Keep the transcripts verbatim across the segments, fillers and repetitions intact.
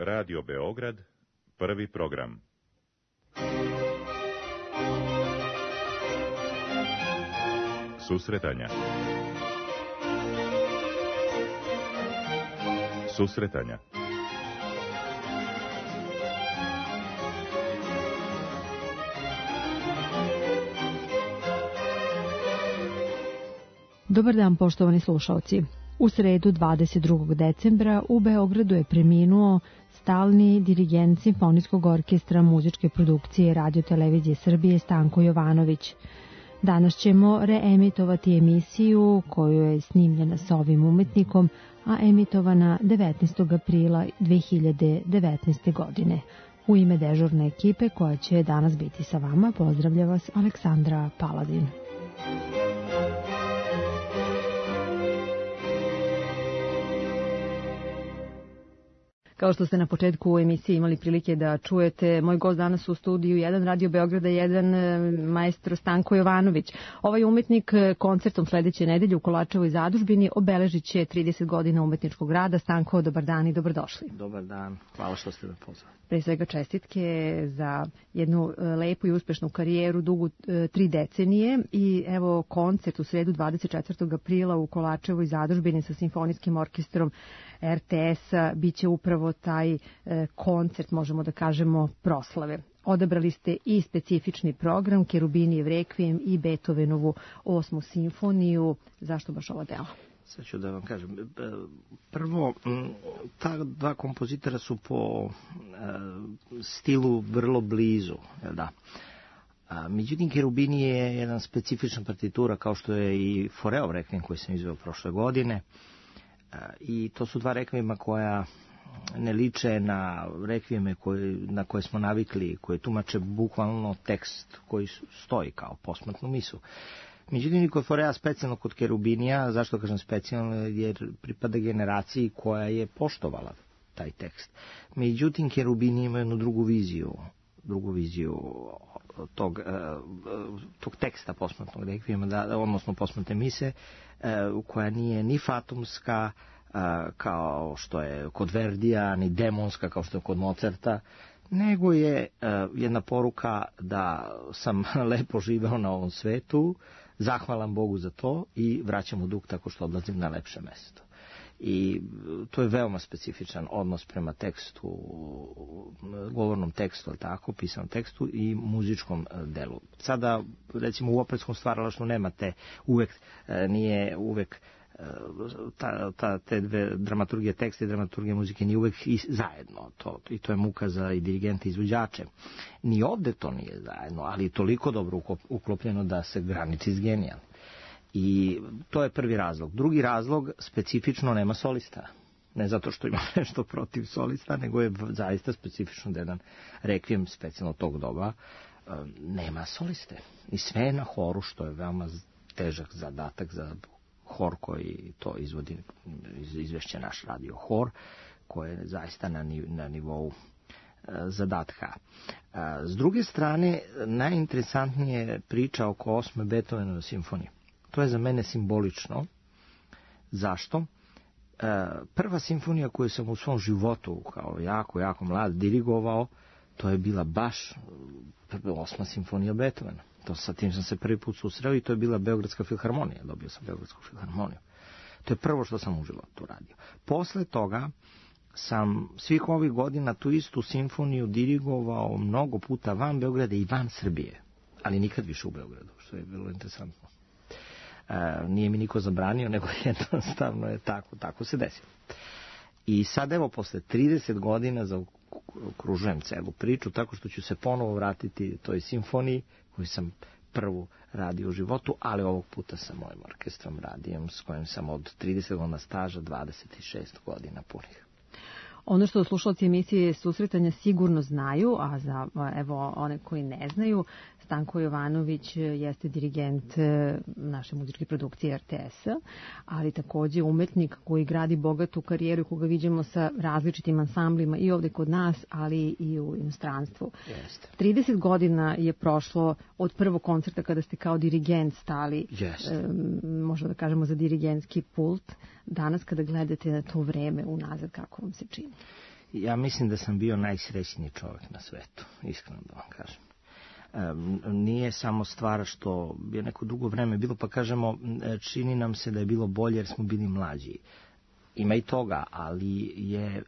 Radio Beograd, prvi program. Susretanja. Susretanja. Dobar dan, poštovani slušalci. U sredu dvadeset drugog decembra u Beogradu je preminuo stalni dirigent Simfonijskog orkestra muzičke produkcije Radio-televizije Srbije Stanko Jovanović. Danas ćemo reemitovati emisiju koju je snimljena sa ovim umetnikom, a emitovana devetnaestog aprila dve hiljade devetnaeste. godine. U ime dežurne ekipe koja će danas biti sa vama, pozdravlja vas Aleksandra Paladin. Kao što ste na početku u emisiji imali prilike da čujete, moj gost danas u studiju jedan Radio Beograda, jedan maestro Stanko Jovanović. Ovaj umetnik koncertom sledeće nedelje u Kolačevoj zadužbini obeležit će trideset godina umetničkog rada. Stanko, dobar dan i dobrodošli. Dobar dan, hvala što ste me pozvali. Pre svega čestitke za jednu lepu i uspešnu karijeru, dugu tri decenije, i evo koncert u sredu dvadeset četvrtog aprila u Kolačevoj zadužbini sa Simfonijskim orkestrom er te es-a biće upravo taj koncert, možemo da kažemo, proslave. Odabrali ste i specifični program, Kerubinijev rekvijem i Beethovenovu osmu simfoniju. Zašto baš ovo delo? Sad ću da vam kažem. Prvo, ta dva kompozitora su po stilu vrlo blizu, da. Međutim, Kerubini je jedan specifična partitura, kao što je i Foreov rekvijem koji sam izveo prošle godine. I to su dva rekvijema koja ne liče na rekvijeme koje, na koje smo navikli, koje tumače bukvalno tekst koji stoji kao posmrtnu misu. Međutim, i kod Forea, specijalno kod Kerubinija, zašto kažem specijalno, jer pripada generaciji koja je poštovala taj tekst. Međutim, Kerubini ima jednu drugu viziju, drugu viziju tog, tog teksta posmrtnog rekvijema, da, odnosno posmrtne mise, koja nije ni fatumska, kao što je kod Verdija, ni demonska kao što je kod Mozarta, nego je jedna poruka da sam lepo živeo na ovom svetu, zahvalan Bogu za to i vraćam mu dug tako što odlazim na lepše mesto. I to je veoma specifičan odnos prema tekstu, govornom tekstu, ali tako, pisanom tekstu i muzičkom delu. Sada, recimo, u operskom stvaralaštvu nemate uvek, nije uvek ta, ta, te dve dramaturgije teksta i dramaturgije muzike nije uvek i zajedno. To, I to je muka za i dirigente i izvođače. Ni ovde to nije zajedno, ali toliko dobro uklopljeno da se graniči s genijalnim. I to je prvi razlog. Drugi razlog, specifično nema solista. Ne zato što ima nešto protiv solista, nego je zaista specifično da jedan rekvijem specijalno tog doba nema soliste. I sve je na horu, što je veoma težak zadatak za hor koji to izvodi, izvešće naš radio hor, koji je zaista na, na nivou zadatka. S druge strane, najinteresantnije je priča oko osme Beethovenove simfonije. To je za mene simbolično. Zašto? Prva simfonija koju sam u svom životu kao jako, jako mlad dirigovao, to je bila baš osma simfonija Beethovena. To sa tim sam se prvi put susreo i to je bila Beogradska filharmonija. Dobio sam Beogradsku filharmoniju. To je prvo što sam u životu radio. Posle toga sam svih ovih godina tu istu simfoniju dirigovao mnogo puta van Beograda i van Srbije, ali nikad više u Beogradu, što je bilo interesantno. E, nije mi niko zabranio, nego jednostavno je tako, tako se desilo. I sad evo, posle trideset godina zaokružujem celu priču, tako što ću se ponovo vratiti toj simfoniji koju sam prvu radio u životu, ali ovog puta sa mojim orkestrom radijem, s kojim sam od trideset godina staža, dvadeset šest godina punih. Ono što slušalci emisije Susretanja sigurno znaju, a za evo one koji ne znaju, Stanko Jovanović jeste dirigent naše muzičke produkcije er te es-a, ali takođe umetnik koji gradi bogatu karijeru i koga vidimo sa različitim ansamblima i ovde kod nas, ali i u inostranstvu. Jeste. trideset godina je prošlo od prvog koncerta kada ste kao dirigent stali, Jeste. možda da kažemo, za dirigentski pult. Danas kada gledate na to vreme unazad, kako vam se čini? Ja mislim da sam bio najsrećniji čovjek na svetu, iskreno da vam kažem. Nije samo stvar što je neko dugo vreme bilo, pa kažemo, čini nam se da je bilo bolje jer smo bili mlađi. Ima i toga, ali je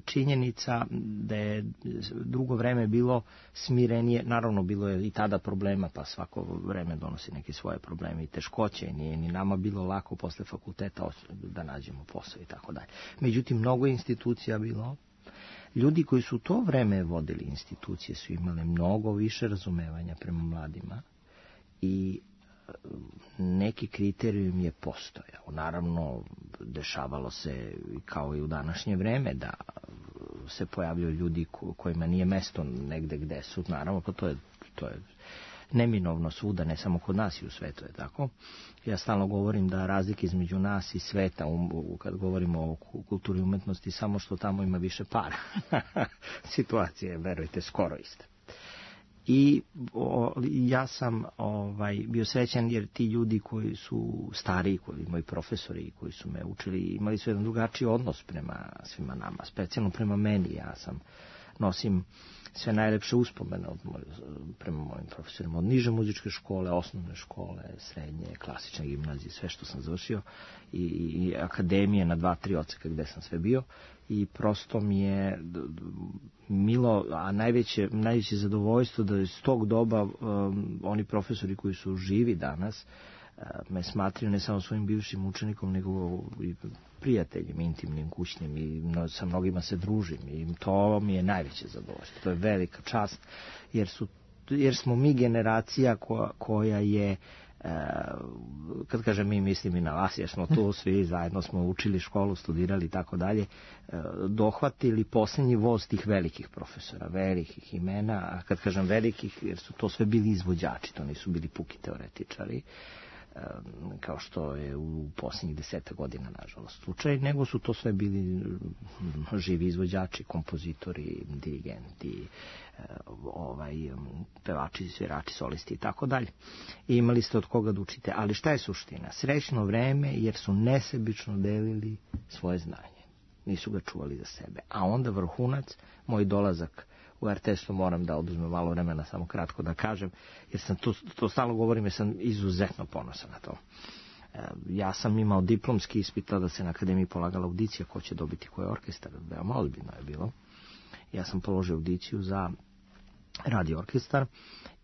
činjenica da je drugo vreme bilo smirenije. Naravno, bilo je i tada problema, pa svako vreme donosi neke svoje probleme i teškoće. Nije ni nama bilo lako posle fakulteta da nađemo posao i tako dalje. Međutim, mnogo institucija bilo. Ljudi koji su u to vreme vodili institucije su imali mnogo više razumevanja prema mladima i neki kriterijum je postojao. Naravno, dešavalo se kao i u današnje vreme da se pojavljaju ljudi kojima nije mesto negde gde su. Naravno, pa to je, to je neminovno svuda, ne samo kod nas i u svetu je tako. Ja stalno govorim da razlike između nas i sveta, kad govorimo o kulturi i umetnosti, samo što tamo ima više para. Situacija je, verujte, skoro ista. I o, ja sam ovaj, bio srećan jer ti ljudi koji su stariji, koji moji profesori koji su me učili, imali su jedan drugačiji odnos prema svima nama, specijalno prema meni. Ja sam nosim sve najlepše uspomene od moj, prema mojim profesorima, od niže muzičke škole, osnovne škole, srednje, klasične gimnazije, sve što sam završio i, i akademije na dva, tri odseka gde sam sve bio i prosto mi je milo, a najveće, najveće zadovoljstvo da iz tog doba um, oni profesori koji su živi danas me smatraju ne samo svojim bivšim učenikom, nego i prijateljima, intimnim, kućnim i sa mnogima se družim i to mi je najveće zadovoljstvo. To je velika čast jer, su, jer smo mi generacija koja, koja je, kad kažem mi, mislim i na vas, jer smo tu svi zajedno smo učili školu, studirali i tako dalje, dohvatili posljednji voz tih velikih profesora, velikih imena, a kad kažem velikih, jer su to sve bili izvođači, to nisu bili puki teoretičari, kao što je u posljednjih deseta godina, nažalost, slučaj, nego su to sve bili živi izvođači, kompozitori, dirigenti, ovaj, pevači, svirači, solisti i tako dalje. I imali ste od koga da učite. Ali šta je suština? Srećno vreme jer su nesebično delili svoje znanje. Nisu ga čuvali za sebe. A onda vrhunac, moj dolazak u er te es, moram da oduzmem malo vremena, samo kratko da kažem, jer sam to, to stalno govorim, jer sam izuzetno ponosan na to. E, ja sam imao diplomski ispit, da se na akademiji polagala audicija ko će dobiti koji orkestar, veoma ozbiljno je bilo. Ja sam položio audiciju za radio orkestar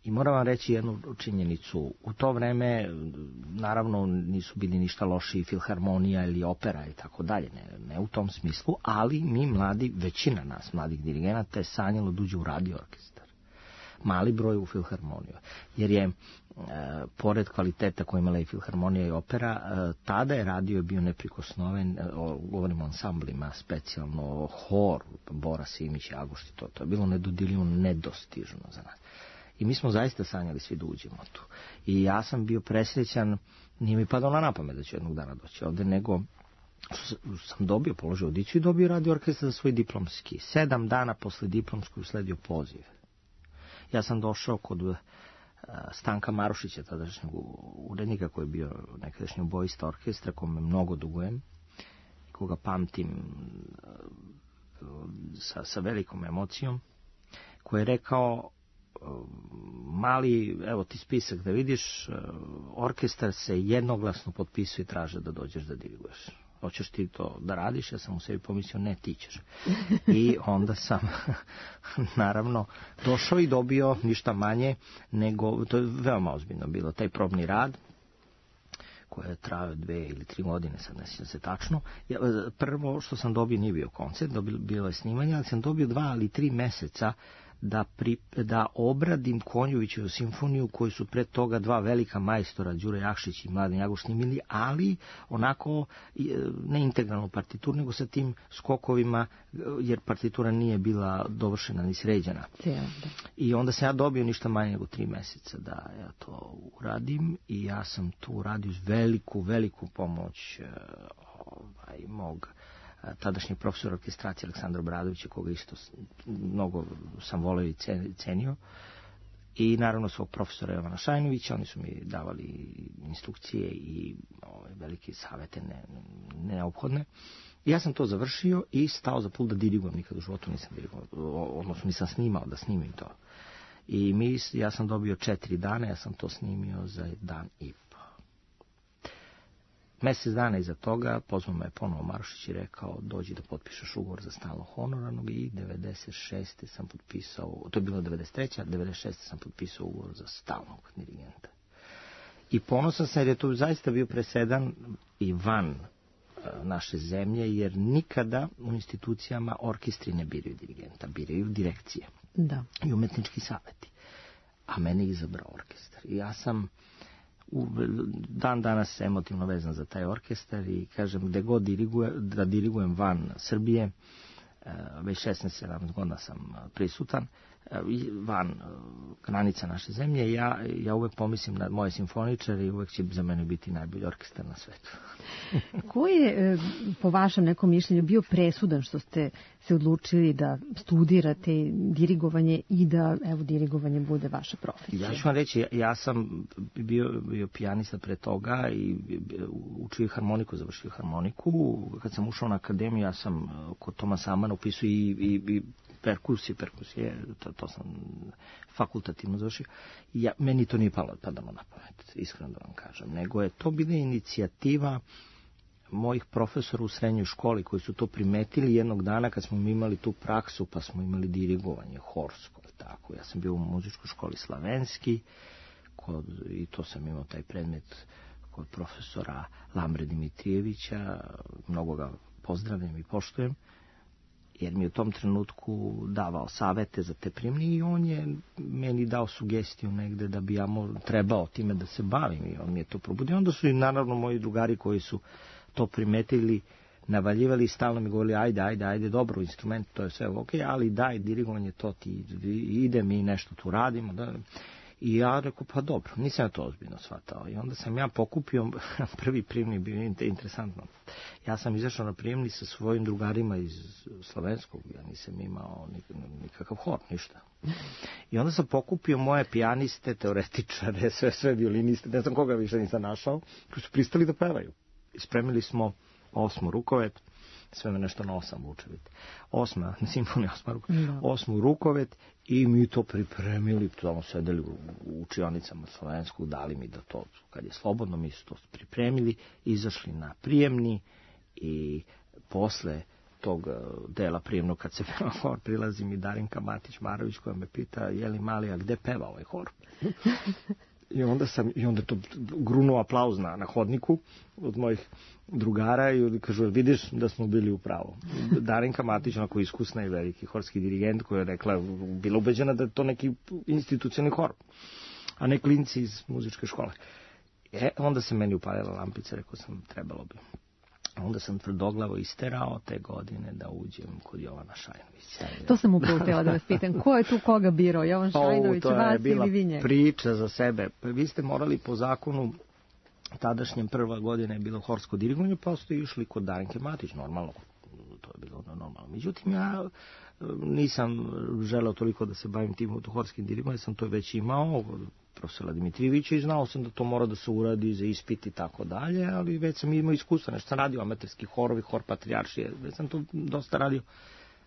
i moram vam reći jednu činjenicu. U to vreme, naravno, nisu bili ništa loši filharmonija ili opera i tako dalje, ne, ne u tom smislu, ali mi mladi, većina nas mladih dirigenata je sanjalo da uđe u radio orkestar. Mali broj u filharmoniju, jer je, e, pored kvaliteta koje imala i filharmonija i opera, e, tada je radio bio neprikosnoven, e, o, govorimo o ansamblima, specijalno hor, Bora Simić i Agošti, to, to je bilo nedodirljivo, nedostižno za nas. I mi smo zaista sanjali svi da uđemo tu. I ja sam bio presrećan, nije mi padalo na pamet da ću jednog dana doći ovde, nego sam dobio, položio audiciju i dobio radio orkestar za svoj diplomski. Sedam dana posle diplomskog usledio poziv. Ja sam došao kod uh, Stanka Marušića, tadašnjeg urednika koji je bio nekadašnji obojista orkestra, kome mnogo dugujem, koga pamtim uh, sa, sa velikom emocijom, koji je rekao: mali, evo ti spisak da vidiš, orkestar se jednoglasno potpisuje i traže da dođeš da diriguješ. Hoćeš ti to da radiš? Ja sam u sebi pomislio, ne, ti ćeš. I onda sam, naravno, došao i dobio ništa manje nego, to je veoma ozbiljno bilo, taj probni rad, koje je trajao dve ili tri godine, sad ne sjećam se tačno. Ja, prvo što sam dobio nije bio koncert, dobio, bilo je snimanje, ali sam dobio dva ili tri meseca da, pri, da obradim Konjovićevu simfoniju koju su pre toga dva velika majstora, Đure Jakšić i Mladen Jagoš, snimili, ali onako ne integralnu partituru, nego sa tim skokovima, jer partitura nije bila dovršena ni sređena. I onda sam ja dobio ništa manje nego tri meseca da ja to uradim i ja sam to uradio uz veliku, veliku pomoć ovaj, mog tadašnjeg profesora orkestracije Aleksandra Bradovića, koga isto mnogo sam voleo i cenio, i naravno svog profesora Jovana Šajnovića. Oni su mi davali instrukcije i ove, velike savete ne, neophodne Ja sam to završio i stao za pult da dirigujem, nikad u životu nisam dirigujem, odnosno nisam snimao da snimim to. I mi, ja sam dobio četiri dana, ja sam to snimio za dan i po. Mesec dana iza toga pozvao me ponovo Marušić i rekao dođi da potpišeš ugovor za stalno honorarnog i devedeset šeste sam potpisao, to je bilo devedeset treće devedeset šeste sam potpisao ugovor za stalnog dirigenta. I ponosan sam jer je to zaista bio presedan i van naše zemlje, jer nikada u institucijama orkestri ne biraju dirigenta, biraju direkcije da. I umetnički saveti. A mene je izabrao orkestar. I ja sam u dan danas emotivno vezan za taj orkestar i kažem, gde god diriguje, da dirigujem van Srbije, već šesnaest sedamnaest godina sam prisutan, van granica naše zemlje, ja, ja uvek pomislim na moje simfoničare i uvek će za mene biti najbolji orkestar na svetu. Ko je, po vašem nekom mišljenju, bio presudan što ste se odlučili da studirate dirigovanje i da, evo, dirigovanje bude vaša profesija? Ja ću vam reći, ja sam bio, bio pijanista pre toga i učio harmoniku, završio harmoniku. Kad sam ušao na akademiju, ja sam kod Tomasa Amana upisao i, i, i perkusije, perkusije, to, to sam fakultativno završio. Ja, meni to nije palo padalo na pamet, iskreno da vam kažem, nego je to bila inicijativa mojih profesora u srednjoj školi koji su to primetili jednog dana kad smo imali tu praksu, pa smo imali dirigovanje horsko, tako. Ja sam bio u muzičkoj školi Slavenski kod, i to sam imao taj predmet kod profesora Lambre Dimitrijevića, mnogo ga pozdravljam i poštujem, jer mi je u tom trenutku davao savete za te primne i on je meni dao sugestiju negde da bi ja trebao time da se bavim i on mi je to probudio. Onda su i naravno moji drugari koji su to primetili, navaljivali i stalno mi govorili ajde, ajde, ajde, dobro, instrument, to je sve ok, ali daj, dirigovanje, to ti ide, mi nešto tu radimo. Da. I ja rekao, pa dobro, nisam ja to ozbiljno shvatao. I onda sam ja pokupio, prvi prijemni bio interesantno. Ja sam izašao na prijemni sa svojim drugarima iz Slovenskog, ja nisam imao nikakav hor, ništa. I onda sam pokupio moje pijaniste, teoretičare, sve, sve violiniste, ne znam koga više nisam našao, koji su pristali da pevaju. I spremili smo osmu Rukovet, sve me nešto na osam vuče, vidite. Osma, simfonija, osma Rukovet, no. Osmu Rukovet i mi to pripremili, tamo sedeli u, u učionicama Slovenskog, dali mi da to, kad je slobodno, mi su to pripremili, izašli na prijemni i posle tog dela prijemnog, kad se peva hor, prilazi mi Darinka Matić-Marović koja me pita, je li mali, a gde peva ovaj hor? I onda sam, i onda to grunuo aplauz na, na hodniku od mojih drugara i kažu, vidiš da smo bili u pravu. Darinka Matić, onako iskusna i veliki horski dirigent, koja je rekla, bila ubeđena da je to neki institucionalni hor, a ne klinci iz muzičke škole. E, onda se meni upalila lampica, rekao sam, trebalo bi. Onda sam tvrdoglavo isterao te godine da uđem kod Jovana Šajnovića. To sam upravo htjela da vas pitam. Ko je tu koga birao? Jovan Šajnović, o, vas ili vi njega? To je bila priča za sebe. Vi ste morali po zakonu, tadašnjem prva godina je bilo horsko dirigovanje, pa ste išli kod Darinke Matić, normalno. To je bilo normalno. Međutim, ja nisam želeo toliko da se bavim tim horskim dirigovanjem, sam to već imao profesora Dimitrijevića i znao sam da to mora da se uradi za ispit i tako dalje, ali već sam imao iskustva, nešto sam radio amaterski horovi, hor Patrijaršije, već sam to dosta radio.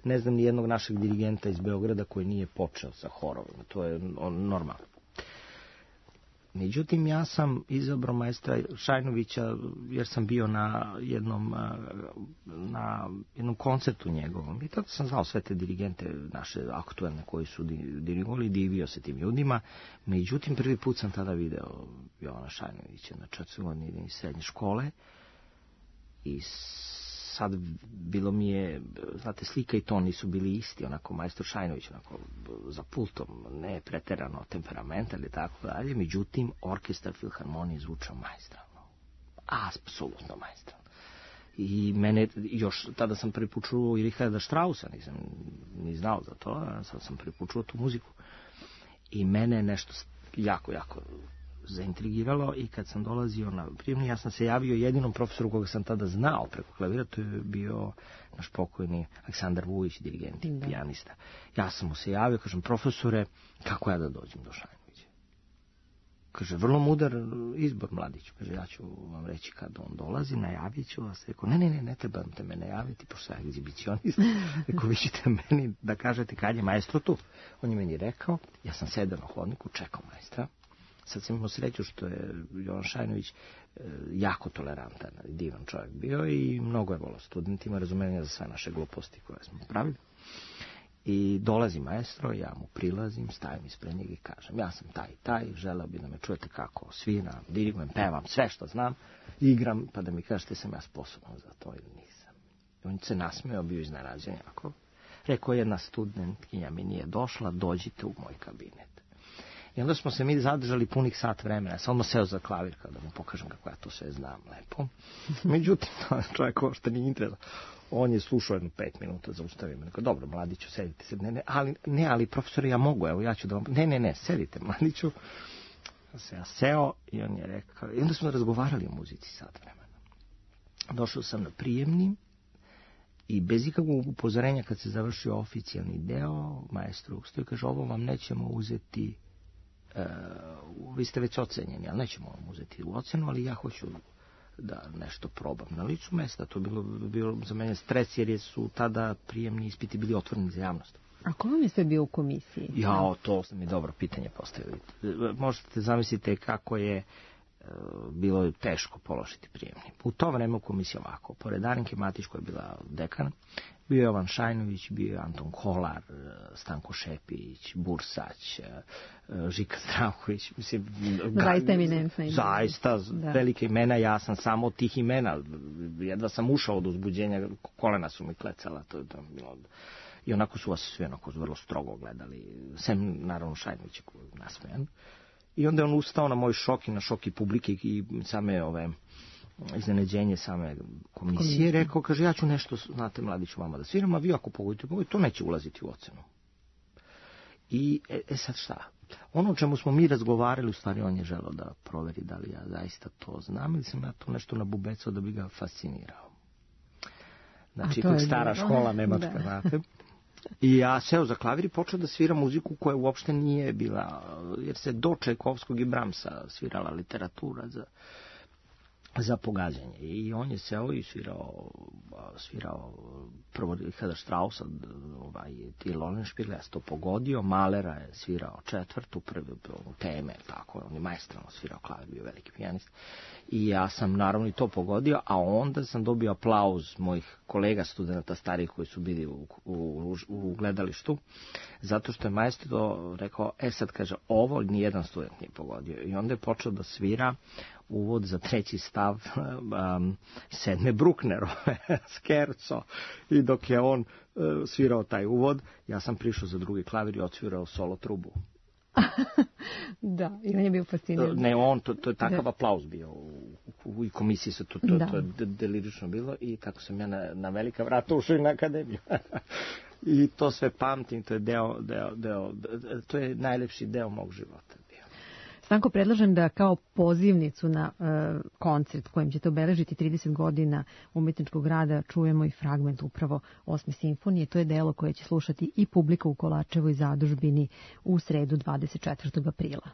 Ne znam ni jednog našeg dirigenta iz Beograda koji nije počeo sa horovima, to je normalno. Međutim, ja sam izabrao maestra Šajnovića jer sam bio na jednom, na jednom koncertu njegovom i tada sam znao sve te dirigente naše aktuelne koji su dirigovali, divio se tim ljudima. Međutim, prvi put sam tada video Jovana Šajnovića na četvrtoj godini srednje škole i sad bilo mi je, znate, slika i ton nisu bili isti, onako maestro Šajnović, onako za pultom, ne preterano temperamental ili tako dalje, međutim, orkestar filharmonije zvučao maestralno, apsolutno maestralno. I mene, još tada sam prvi put čuo i Richarda Straussa, nisam ni znao za to, sad sam prvi put čuo tu muziku. I mene je nešto jako, jako zaintrigiralo i kad sam dolazio na prijemni, ja sam se javio jedinom profesoru koga sam tada znao preko klavira, to je bio naš pokojni Aleksandar Vujić, dirigent i pijanista. Ja sam mu se javio, kažem, profesore, kako ja da dođem do Šajnovića? kaže, vrlo mudar izbor, mladić. Kaže, ja ću vam reći kad on dolazi, najavit ću vas. Rekao, ne, ne, ne, ne trebate me najaviti, pošto sam egzibicionist. Rekao, vi ćete meni da kažete kad je maestro tu. On je meni rekao, ja sam sedao na hodniku, čekao maestra. Sad sam imao sreću što je Jovan Šajnović jako tolerantan, divan čovjek bio i mnogo je volao studentima, razumevanja za sve naše gluposti koje smo pravili. I dolazi maestro, ja mu prilazim, stavim ispred njega i kažem, ja sam taj i taj, želeo bi da me čujete kako sviram, dirigujem, pevam, sve što znam, igram, pa da mi kažete sam ja sposoban za to ili nisam. I on se nasmeo, bio iznenađen jako. Rekao, jedna studentkinja mi nije došla, dođite u moj kabinet. I onda smo se mi zadržali punih sat vremena, sam odmah seo za klavir kao da mu pokažem kako ja to sve znam lepo. Međutim, čovjek ovo što nije interesno. On je slušao jedno pet minuta, zaustavio me. Rekao, dobro, mladiću, sedite se. Ne, ne, ali, ne, ali profesore, ja mogu, evo, ja ću da vam... Ne, ne, ne, sedite, mladiću. Ja se ja seo i on je rekao... I onda smo razgovarali o muzici sat vremena. Došao sam na prijemni i bez ikakvog upozorenja kad se završio oficijalni deo, maestro ustao i kaže, ovo vam nećemo uzeti... Uh, vi ste već ocenjeni, ali nećemo vam uzeti u ocenu, ali ja hoću da nešto probam na licu mesta. To je bilo, bilo za mene stres, jer su tada prijemni ispiti bili otvoreni za javnost. A ko vam je sve bio u komisiji? Ja, to ste mi dobro pitanje postavili. Možete zamislite kako je uh, bilo teško položiti prijemni. U to vreme u komisiji ovako, pored Arinke Matić koja je bila dekan, bio je Jovan Šajnović, bio je Anton Kolar, Stanko Šepić, Bursać, Žika Zdravković. Mislim, zaista eminentna imena. Zaista, da. Velike imena, ja sam samo od tih imena. Jedva sam ušao od uzbuđenja, kolena su mi klecala. To je to bilo... I onako su vas svi onako vrlo strogo gledali. Sem, naravno, Šajnović je nasmejan. I onda je on ustao na moj šok i na šok i publike i same ove... iznenađenje same komisije, rekao, kaže, ja ću nešto, znate, mladiću, vama da sviram, a vi ako pogodite, pogodite, to neće ulaziti u ocenu. I, e, e sad šta? Ono o čemu smo mi razgovarali, u stvari on je želeo da proveri da li ja zaista to znam, ili sam ja to nešto nabubecao da bi ga fascinirao. Znači, to je stara bilo. Škola nemačka, da. Znate. I ja seo za klavir i počeo da svira muziku koja uopšte nije bila, jer se do Čajkovskog i Bramsa svirala literatura za... za pogađanje. I on je seo i svirao, svirao prvo Richarda Straussa, ovaj, Till Eulenspiegel, ja sam to pogodio, Mahlera je svirao četvrtu, prvi teme, tako, on je maestralno svirao klavir, bio veliki pijanist. I ja sam naravno i to pogodio, a onda sam dobio aplauz mojih kolega studenta starih koji su bili u, u, u gledalištu, zato što je maestro rekao, e sad kaže, ovo nijedan student nije pogodio. I onda je počeo da svira uvod za treći stav um, sedme Brucknerove, Scherzo. I dok je on uh, svirao taj uvod, ja sam prišao za drugi klavir i odsvirao solo trubu. Da, i on je bio fasciniran. Ne, on, to, to je takav da. Aplauz bio u, u, u komisiji, se to, to, da. to je delirično bilo i tako sam ja na, na velika vrata ušao na akademiju. I to sve pamtim, to je deo, deo, deo, to je najlepši deo mog života. Stanko, predlažem da kao pozivnicu na uh, koncert kojim ćete obeležiti trideset godina umetničkog rada čujemo i fragment upravo osme simfonije. To je delo koje će slušati i publika u Kolačevoj zadužbini u sredu dvadeset četvrtog aprila.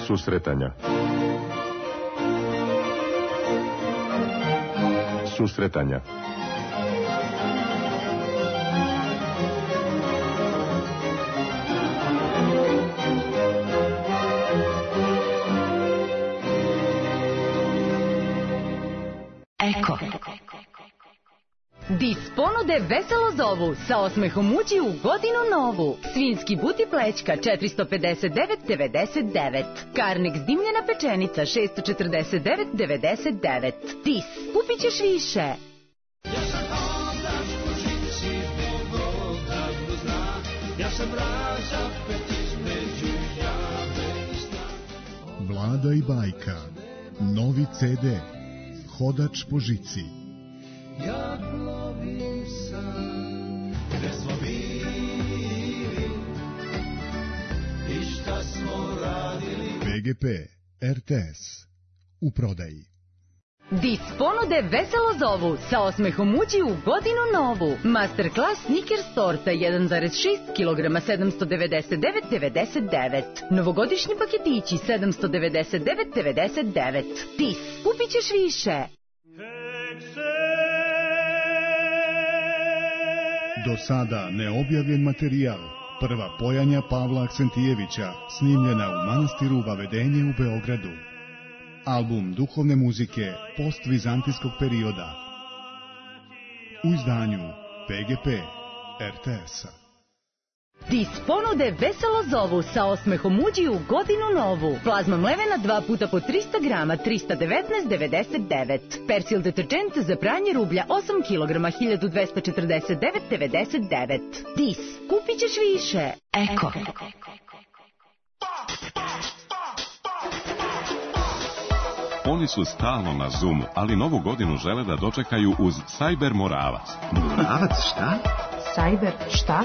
Susretanja. Susretanja. Eko. Dis ponude veselo zovu, sa osmehom uđi u godinu novu. Svinjski but i plećka četiristo pedeset devet devedeset devet. Karnik dimljena pečenica šesto četrdeset devet devedeset devet. Dis, kupit ćeš više. Ja sam hodač po žici, Bog odavno zna. Ja sam razapet između jame i sna. Vlada i bajka, novi ce de, Hodač po žici. Ja plovim sam, gde smo bili i šta smo radili. be ge pe, er te es, u prodaji. Dis ponude veselo zovu, sa osmehom uđi u godinu novu. Masterclass Snickers torta jedan zarez šest kilograma sedamsto devedeset devet devedeset devet. Novogodišnji paketići sedamsto devedeset devet devedeset devet. Dis, kupit ćeš više. Do sada neobjavljen materijal, prva pojanja Pavla Aksentijevića, snimljena u manastiru Vavedenje u Beogradu. Album duhovne muzike postvizantijskog perioda. U izdanju be ge pe, er te es-a. Dis ponude veselo zovu, sa osmehom uđi u godinu novu. Plazma mlevena dva puta po trista grama, trista devetnaest devedeset devet. Persil deterđent za pranje rublja osam kilograma, hiljadu dvesta četrdeset devet devedeset devet. Dis, kupit ćeš više. Eko. Oni su stalno na Zoomu, ali novu godinu žele da dočekaju uz Cyber Moravac. Moravac šta? Cyber šta?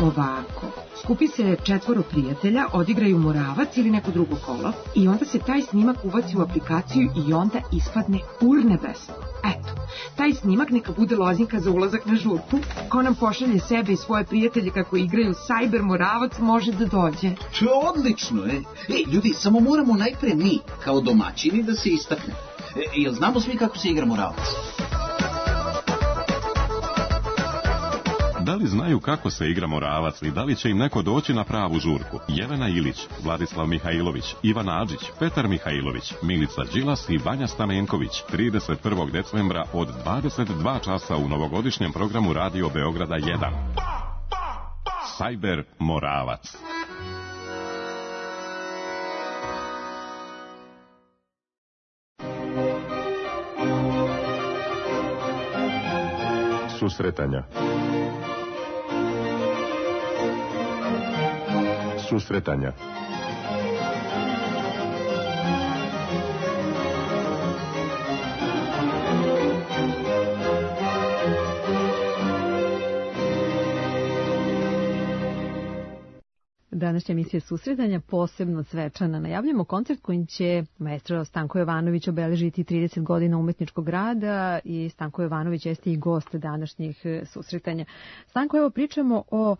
Ovako, skupi se četvoro prijatelja, odigraju Moravac ili neko drugo kolo i onda se taj snimak ubaci u aplikaciju i onda ispadne urnebesno. Eto, taj snimak neka bude lozinka za ulazak na žurku. Ko nam pošalje sebe i svoje prijatelje kako igraju Cyber Moravac može da dođe. To je odlično, e. Ej, ljudi, samo moramo najpre mi, kao domaćini, da se istakne. E, jel znamo svi kako se igra Moravac? Da li znaju kako se igra Moravac i da li će im neko doći na pravu žurku? Jelena Ilić, Vladislav Mihajlović, Ivan Adžić, Petar Mihajlović, Milica Đilas i Vanja Stamenković trideset prvog decembra od dvadeset dva časa u novogodišnjem programu Radio Beograda jedan. Cyber Moravac. Susretanja. Susretanja. Današnja emisija Susretanja posebno svečana. Najavljamo koncert kojim će maestro Stanko Jovanović obeležiti trideset godina umetničkog rada i Stanko Jovanović jeste i gost današnjih susretanja. Stanko, evo pričamo o,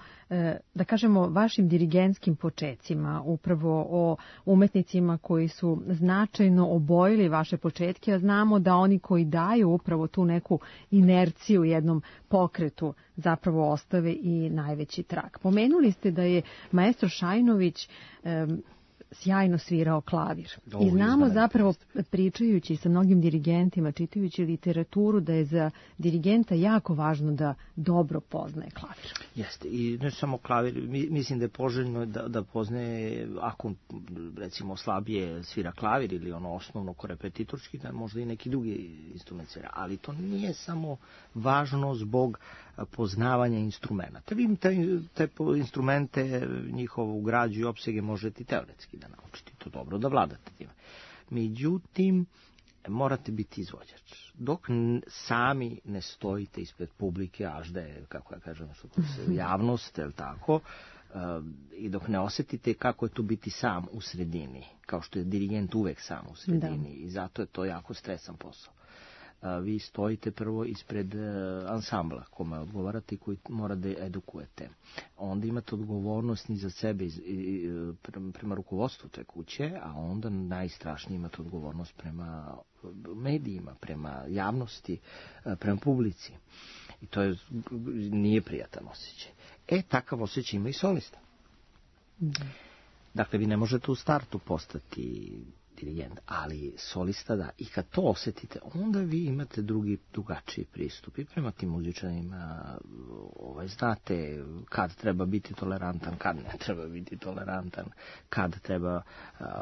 da kažemo, vašim dirigentskim počecima, upravo o umetnicima koji su značajno obojili vaše početke, a znamo da oni koji daju upravo tu neku inerciju jednom pokretu zapravo ostave i najveći trag. Pomenuli ste da je maestro Šajnović um, sjajno svirao klavir. I znamo zapravo, pričajući sa mnogim dirigentima, čitajući literaturu, da je za dirigenta jako važno da dobro poznaje klavir. Jeste, i ne samo klavir, mislim da je poželjno da, da poznaje, ako recimo slabije svira klavir ili ono osnovno ko repetitorski, da možda i neki drugi instrument svira, ali to nije samo važno zbog poznavanja instrumenta. Vi te, te instrumente, njihovu građu i opsege možete i teoretski da naučite to dobro, da vladate time. Međutim, morate biti izvođač. Dok sami ne stojite ispred publike, až da je, kako ja kažem, što to se, javnost, je li tako, uh, i dok ne osetite kako je to biti sam u sredini, kao što je dirigent uvek sam u sredini, da. I zato je to jako stresan posao. a, vi stojite prvo ispred a, ansambla kome odgovarate i koji mora da edukujete. Onda imate odgovornost ni za sebe i, i, prema, prema rukovodstvu te kuće, a onda najstrašnije imate odgovornost prema medijima, prema javnosti, a, prema publici. I to je, nije prijatan osjećaj. E, takav osjećaj ima i solista. Da. Dakle, vi ne možete u startu postati dirigent, ali solista da. I kad to osjetite, onda vi imate drugi, drugačiji pristup i prema tim muzičanima. Ovaj, znate kad treba biti tolerantan, kad ne treba biti tolerantan, kad treba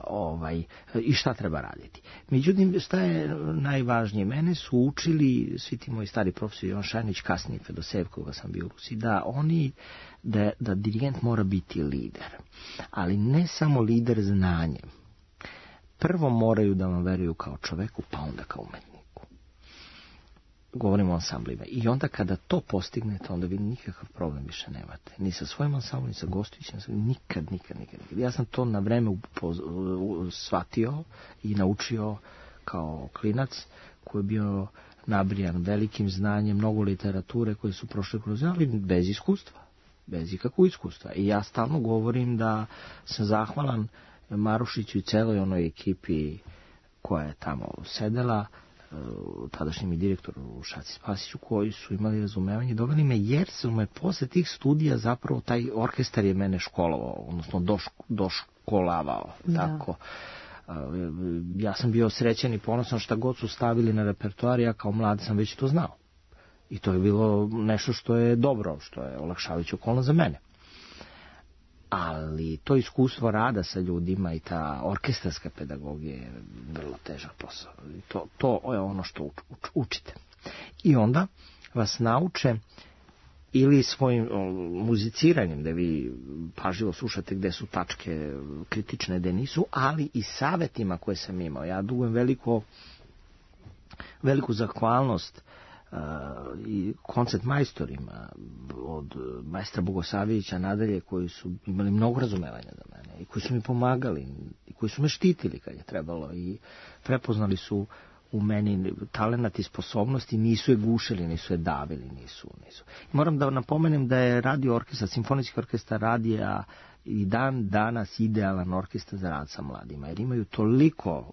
ovaj, i šta treba raditi. Međutim, šta je najvažnije? Mene su učili svi ti moji stari profesori, Jovan Šajnić, kasnije Fedosev, koga sam bio u Rusiji, da oni, da, da dirigent mora biti lider. Ali ne samo lider znanjem. Prvo moraju da vam veruju kao čoveku, pa onda kao umetniku. Govorimo o ansamblima. I onda kada to postignete, onda vi nikakav problem više nemate. Ni sa svojim ansamblom, ni sa gostujućim, nikad, nikad, nikad, nikad. Ja sam to na vreme shvatio i naučio kao klinac koji je bio nabrijan velikim znanjem, mnogo literature koje su prošle kroz, ali bez iskustva. Bez ikakvog iskustva. I ja stalno govorim da sam zahvalan Marušiću i celoj onoj ekipi koja je tamo sedela, tadašnjem i direktoru Šaci Spasiću, koji su imali razumevanje, doveli me, jer su me posle tih studija zapravo taj orkestar je mene školovao, odnosno doško, doškolavao. Da. Tako. Ja sam bio srećan i ponosan šta god su stavili na repertoar, ja kao mlad sam već to znao. I to je bilo nešto što je dobro, što je olakšavajuća okolnost za mene. Ali to iskustvo rada sa ljudima i ta orkestarska pedagogija je vrlo težak posao. To, to je ono što uč, uč, učite. I onda vas nauče ili svojim muziciranjem, da vi pažljivo slušate gde su tačke kritične, gde nisu, ali i savetima koje sam imao. Ja dugujem veliko, veliku zahvalnost Uh, i koncert majstorima od majstra Bogosavljevića nadalje, koji su imali mnogo razumevanja za mene i koji su mi pomagali i koji su me štitili kad je trebalo i prepoznali su u meni talenat i sposobnosti, nisu je gušili, nisu je davili, nisu, nisu. I moram da napomenem da je radio orkestar, simfonijski orkestar radija i dan danas idealan orkestar za rad sa mladima, jer imaju toliko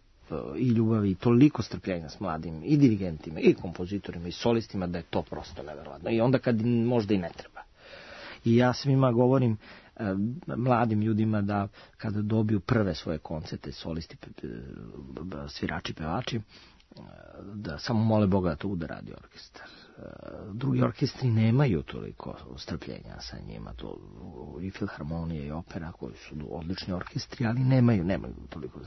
i ljubavi, toliko strpljenja s mladim i dirigentima, i kompozitorima, i solistima, da je to prosto neverovatno. I onda kad možda i ne treba. I ja svima govorim, eh, mladim ljudima, da kada dobiju prve svoje koncerte, solisti, svirači, pevači, da samo mole Boga da to bude radio orkestar. Drugi orkestri nemaju toliko strpljenja sa njima, to i filharmonija i opera koji su odlični orkestri, ali nemaju, nemaju toliko,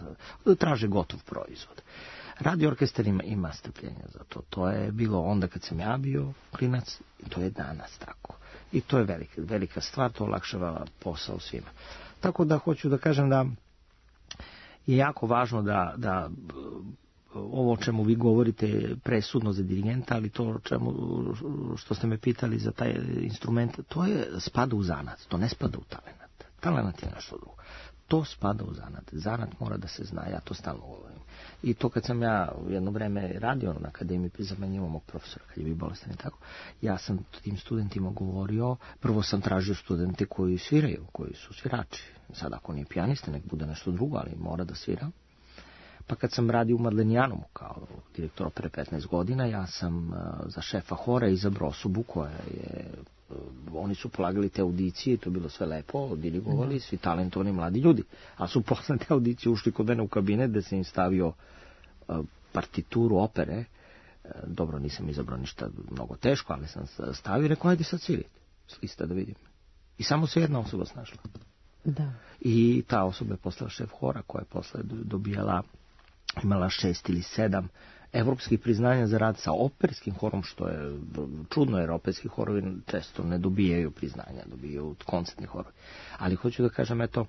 traže gotov proizvod. Radio orkestar ima, ima strpljenja za to. To je bilo onda kad sam ja bio klinac i to je danas tako. I to je velika, velika stvar, to olakšava posao svima. Tako da hoću da kažem da je jako važno da, da ovo o čemu vi govorite je presudno za dirigenta, ali to o čemu, što ste me pitali za taj instrument, to je spada u zanat, to ne spada u talenat. Talenat je nešto drugo. To spada u zanat. Zanat mora da se zna, ja to stalno govorim. I to kad sam ja jedno vreme radio na akademiji, zamenjivao mog profesora, kad je bio bolestan i tako, ja sam tim studentima govorio, prvo sam tražio studente koji sviraju, koji su svirači. Sad ako nije pijanista, nek bude nešto drugo, ali mora da svira. Pa kad sam radio u Madlenijanumu kao direktor opere petnaest godina, ja sam uh, za šefa hora izabrao osobu koja je, uh, oni su polagali te audicije, to je bilo sve lepo, dirigovali, svi talentovani mladi ljudi. A su posle te audicije ušli kod mene u kabinet da sam im stavio uh, partituru opere. Uh, dobro, nisam izabrao ništa mnogo teško, ali sam stavio i rekao, ajde sad svirajte, s lista da vidim. I samo se jedna osoba snašla. Da. I ta osoba je postala šef hora, koja je posle dobijala, imala šest ili sedam evropskih priznanja za rad sa operskim horom, što je čudno, jer operski horovi često ne dobijaju priznanja, dobijaju koncertni horovi. Ali hoću da kažem, eto,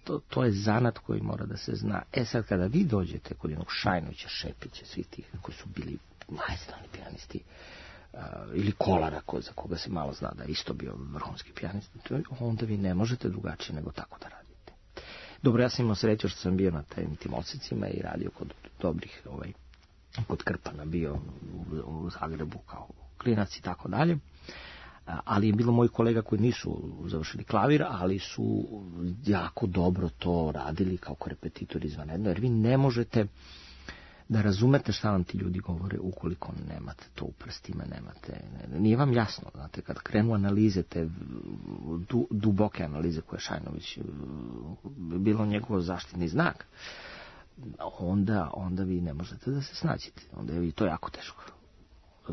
to, to je zanat koji mora da se zna. E sad, kada vi dođete kod jednog Šajnovića, Šepića, svi tih koji su bili majstorni pijanisti, Uh, ili Kolara, ko, za koga se malo zna da je isto bio vrhunski pijanist, onda vi ne možete drugačije nego tako da radite. Dobro, ja sam imao sreću što sam bio na tim, tim odsecima i radio kod dobrih ovaj, kod Krpana bio u, u Zagrebu kao klinac i tako dalje. Ali je bilo mojih kolega koji nisu završili klavir, ali su jako dobro to radili kao korepetitori izvanredno, jer vi ne možete da razumete šta vam ti ljudi govore ukoliko nemate to u prstima, nemate, nije vam jasno, znate, kad krenu analize, te du, duboke analize koje Šajnović bilo njegov zaštitni znak, onda, onda vi ne možete da se snađete, onda je vi to jako teško,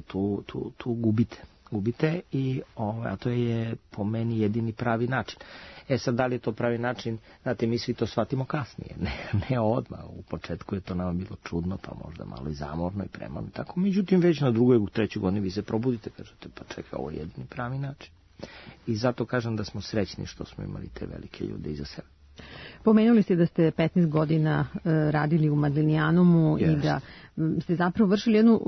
tu, tu, tu gubite. gubite i ovaj, a to je po meni jedini pravi način. E sad, da li je to pravi način, znate, mi svi to shvatimo kasnije, ne, ne odmah, u početku je to nama bilo čudno, pa možda malo i zamorno i premano, tako, međutim već na drugoj, u trećoj godini vi se probudite, kažete, pa čekaj, ovo je jedini pravi način. I zato kažem da smo srećni što smo imali te velike ljude iza sebe. Pomenuli ste da ste petnaest godina radili u Madlenijanumu yes. i da ste zapravo vršili jednu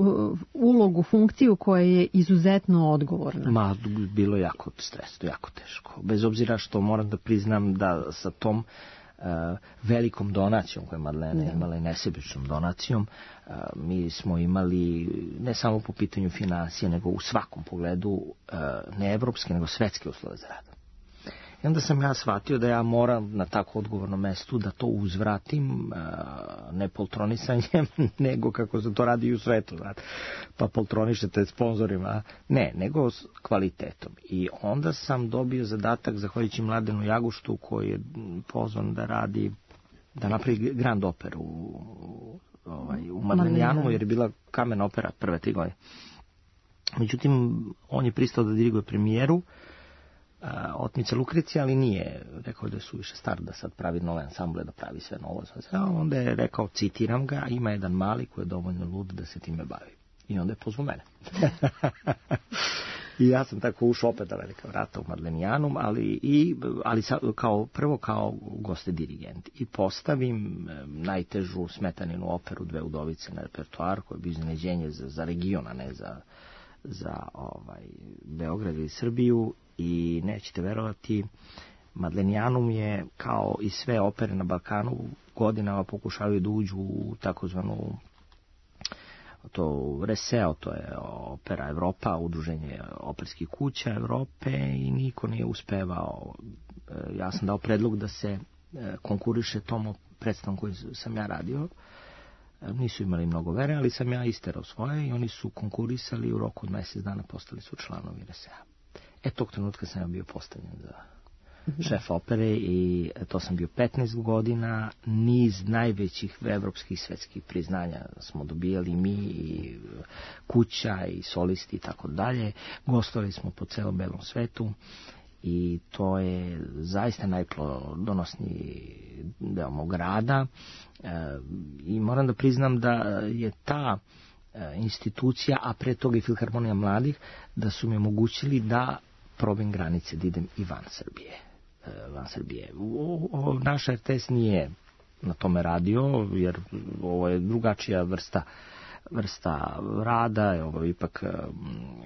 ulogu, funkciju koja je izuzetno odgovorna. Ma, bilo je jako stresno, jako teško. Bez obzira što moram da priznam da sa tom uh, velikom donacijom koju je Madlena yeah. imala i nesebičnom donacijom, uh, mi smo imali ne samo po pitanju financije, nego u svakom pogledu uh, ne evropske, nego svetske uslove za rad. I onda sam ja shvatio da ja moram na tako odgovornom mestu da to uzvratim, ne poltronisanjem, nego kako se to radi i u svetu, znate, pa poltronišete sponzorima, ne, nego s kvalitetom. I onda sam dobio zadatak, zahvaljujući Mladenu Jaguštu, koji je pozvan da radi, da napravi Grand Operu u, ovaj, u Madlenijanu, jer je bila kamen opera prve tri godine. Međutim, on je pristao da diriguje premijeru, Otmica Lukrecija, ali nije rekao da je suviše star da sad pravi nove ansamble, da pravi sve novo. A onda je rekao, citiram ga, ima jedan mali koji je dovoljno lud da se time bavi. I onda je pozvao mene. I ja sam tako ušao opet da velika vrata u Madlenijanum, ali, i, ali sa, kao, prvo kao goste dirigent. I postavim najtežu Smetaninu operu Dve udovice na repertoar, koje je bio iznenađenje za, za region, a ne za, za ovaj, Beograd i Srbiju. I nećete verovati, Madlenijanum je, kao i sve opere na Balkanu, godinama pokušavaju da uđu u takozvanu to Reseo, to je opera Evropa, udruženje operskih kuća Evrope, i niko nije uspevao. Ja sam dao predlog da se konkuriše tom predstavom koju sam ja radio. Nisu imali mnogo vere, ali sam ja isterao svoje i oni su konkurisali i u roku od mjesec dana postali su članovi Resea. E, tog trenutka sam ja bio postavljen za šef opere i to sam bio petnaest godina, niz najvećih evropskih i svetskih priznanja smo dobijali mi, i kuća i solisti i tako dalje. Gostovali smo po celom belom svetu i to je zaista najplodonosniji deo mog rada. E, i moram da priznam da je ta institucija, a pre toga i Filharmonija mladih, da su mi omogućili da probim granice, da idem i van Srbije. Van Srbije. O, o, naš R T S nije na tome radio, jer ovo je drugačija vrsta vrsta rada, ovo je ipak,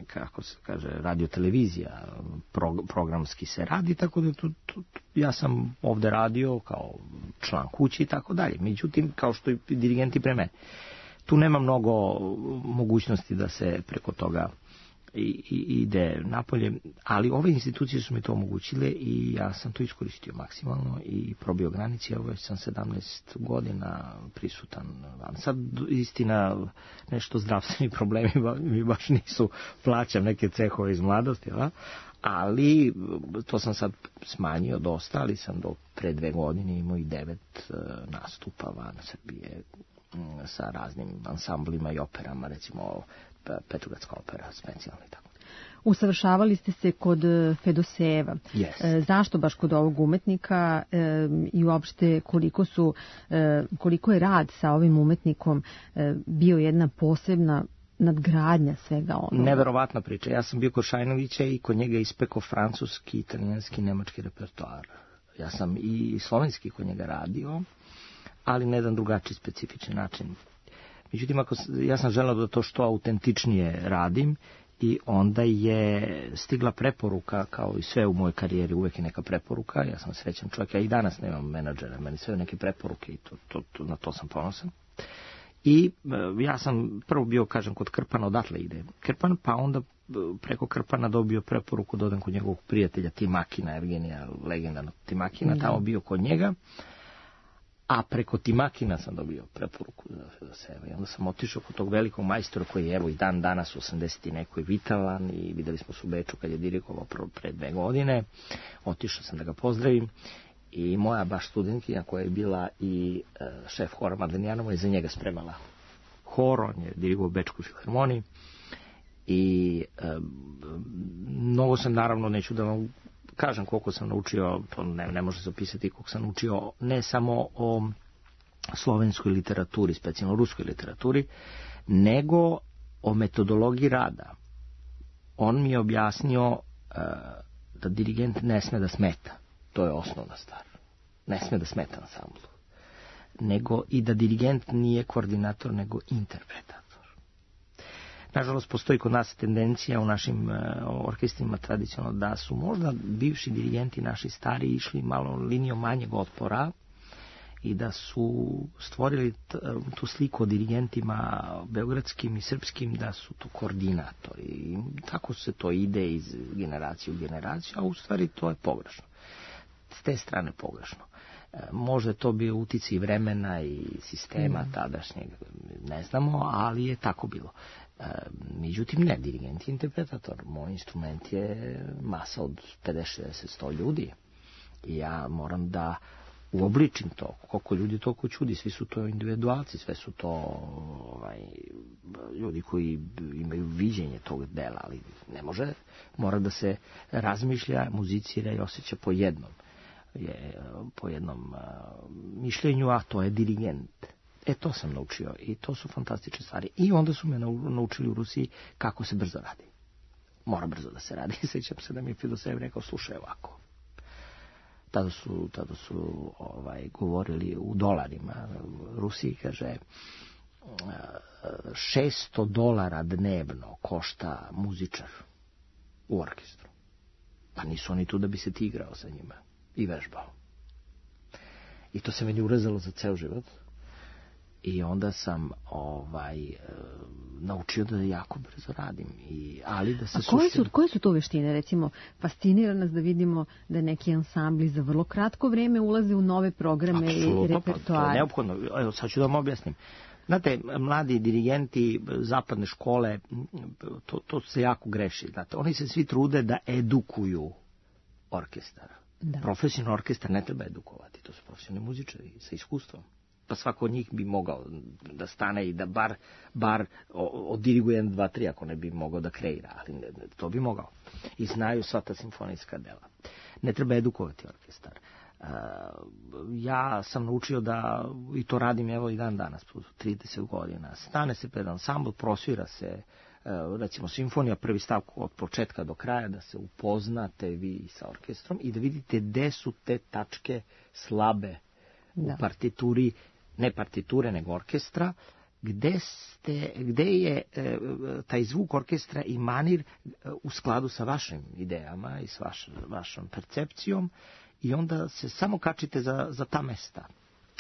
kako se kaže, radio-televizija, pro, programski se radi, tako da tu, tu, ja sam ovde radio kao član kući i tako dalje. Međutim, kao što i dirigenti pre mene, tu nema mnogo mogućnosti da se preko toga i, i, ide napolje, ali ove institucije su mi to omogućile i ja sam to iskoristio maksimalno i probio granici. Evo već sam sedamnaest godina prisutan van. Sad, istina, nešto zdravstveni problemi mi baš nisu, plaćam neke cehove iz mladosti, da? Ali to sam sad smanjio dosta, ali sam do pre dve godine imao i devet nastupa van Srbije sa raznim ansamblima i operama, recimo Petrogradska opera, specijalna i tako. Usavršavali ste se kod Fedoseva. Yes. Zašto baš kod ovog umetnika i uopšte koliko su, koliko je rad sa ovim umetnikom bio jedna posebna nadgradnja svega onoga? Neverovatna priča. Ja sam bio kod Šajnovića i kod njega ispekao francuski, italijanski, nemački repertoar. Ja sam i slovenski kod njega radio, ali na jedan drugačiji specifični način. Međutim, ako, ja sam želeo da to što autentičnije radim i onda je stigla preporuka, kao i sve u mojoj karijeri, uvek je neka preporuka, ja sam srećan čovjek, ja i danas nemam menadžera, meni sve neke preporuke i to, to, to, na to sam ponosan. I ja sam prvo bio, kažem, kod Krpana, odatle ide Krpan, pa onda preko Krpana dobio preporuku da odem kod njegovog prijatelja Timakina, Evgenija, legendarnog Timakina, da. Tamo bio kod njega, a preko Timakina sam dobio preporuku za, za sebe. I onda sam otišao kod tog velikog majstora koji je evo i dan danas u osamdeset i nekoj vitalan i videli smo se u Beču kad je dirigovao pre dve godine. Otišao sam da ga pozdravim. I moja baš studentkinja koja je bila i e, šef hora Madlenjanova je za njega spremala hor, on je dirigovao Bečku filharmoniji i e, mnogo sam, naravno, neću da vam kažem koliko sam naučio, to ne, ne može se opisati koliko sam naučio ne samo o slovenskoj literaturi, specijalno ruskoj literaturi, nego o metodologiji rada. On mi je objasnio e, da dirigent ne sme da smeta. To je osnovna stvar. Ne sme da smeta ansamblu. Nego i da dirigent nije koordinator, nego interpretator. Nažalost, postoji kod nas tendencija u našim uh, orkestrima tradicionalno da su možda bivši dirigenti naši stari išli malo linijom manjeg otpora i da su stvorili t, tu sliku o dirigentima beogradskim i srpskim da su to koordinatori. I tako se to ide iz generacije u generaciju, a u stvari to je pogrešno. S te strane pogrešno. E, možda to bio uticaj vremena i sistema mm. tadašnjeg, ne znamo, ali je tako bilo. E, međutim, ne, dirigent je interpretator. Moj instrument je masa od pedeset, šezdeset, sto ljudi. I ja moram da uobličim to. Koliko ljudi, toliko čudi. Svi su to individualci, sve su to ovaj, ljudi koji imaju viđenje tog dela, ali ne može. Mora da se razmišlja, muzicira i osjeća po jednom. Je po jednom uh, mišljenju, a to je dirigent. E, to sam naučio i to su fantastične stvari. I onda su me naučili u Rusiji kako se brzo radi. Mora brzo da se radi. Sećam se da mi je Filosev rekao, slušaj ovako. Tada su, tada su ovaj, govorili u dolarima. Rusiji kaže šesto dolara dnevno košta muzičar u orkestru. Pa nisu oni tu da bi se ti igrao sa njima i vežbao. I to se meni urezalo za ceo život. I onda sam ovaj e, naučio da jako brzo radim. I, ali da se A koje su, koje su to veštine? Recimo, fascinira nas da vidimo da neki ansambli za vrlo kratko vreme ulaze u nove programe Absolutno, i repertoare. Pa, to je neophodno. Evo, sad ću da vam objasnim. Znate, mladi dirigenti zapadne škole, to, to se jako greši. Znate, oni se svi trude da edukuju orkestar. Da. Profesionalni orkestar ne treba edukovati, to su profesionalni muzičari sa iskustvom. Pa svako od njih bi mogao da stane i da bar, bar odiriguje jedan, dva, tri, ako ne bi mogao da kreira, ali ne, to bi mogao. I znaju sva ta simfonijska dela. Ne treba edukovati orkestar. Uh, ja sam naučio da, i to radim evo i dan danas, trideset godina, stane se pred ansambl, prosvira se, uh, recimo simfonija, prvi stav od početka do kraja, da se upoznate vi sa orkestrom i da vidite gde su te tačke slabe da. U partituri, ne partiture, nego orkestra, gde, ste, gde je e, taj zvuk orkestra i manir e, u skladu sa vašim idejama i s vaš, vašom percepcijom i onda se samo kačite za, za ta mesta.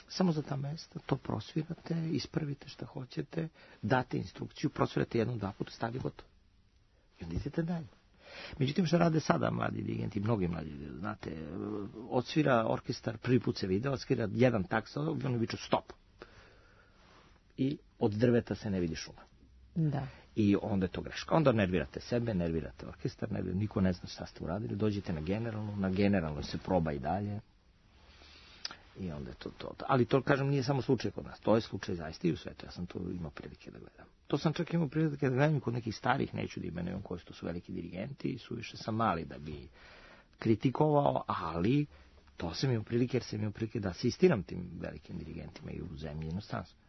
Samo za ta mesta, to prosvirate, ispravite šta hoćete, date instrukciju, prosvirate jednom, dva puta, stali gotovo. I onda idete dalje. Međutim, što rade sada mladi dirigenti, mnogi mladi, znate, odsvira orkestar, prvi put se video, odsvira jedan takt, oni viču stop. I od drveta se ne vidi šuma. Da. I onda je to greška. Onda nervirate sebe, nervirate orkestar, nervirate, niko ne zna šta ste uradili, dođete na generalnu, na generalnoj se proba i dalje. I onda je to, to, to. Ali to, kažem, nije samo slučaj kod nas. To je slučaj zaista i u svetu. Ja sam to imao prilike da gledam. To sam čak imao prilike da gledam kod nekih starih, neću da imenujem koji su veliki dirigenti i suviše sam mali da bi kritikovao, ali to sam imao prilike jer sam imao prilike da asistiram tim velikim dirigentima i u zemlji i inostranstvu.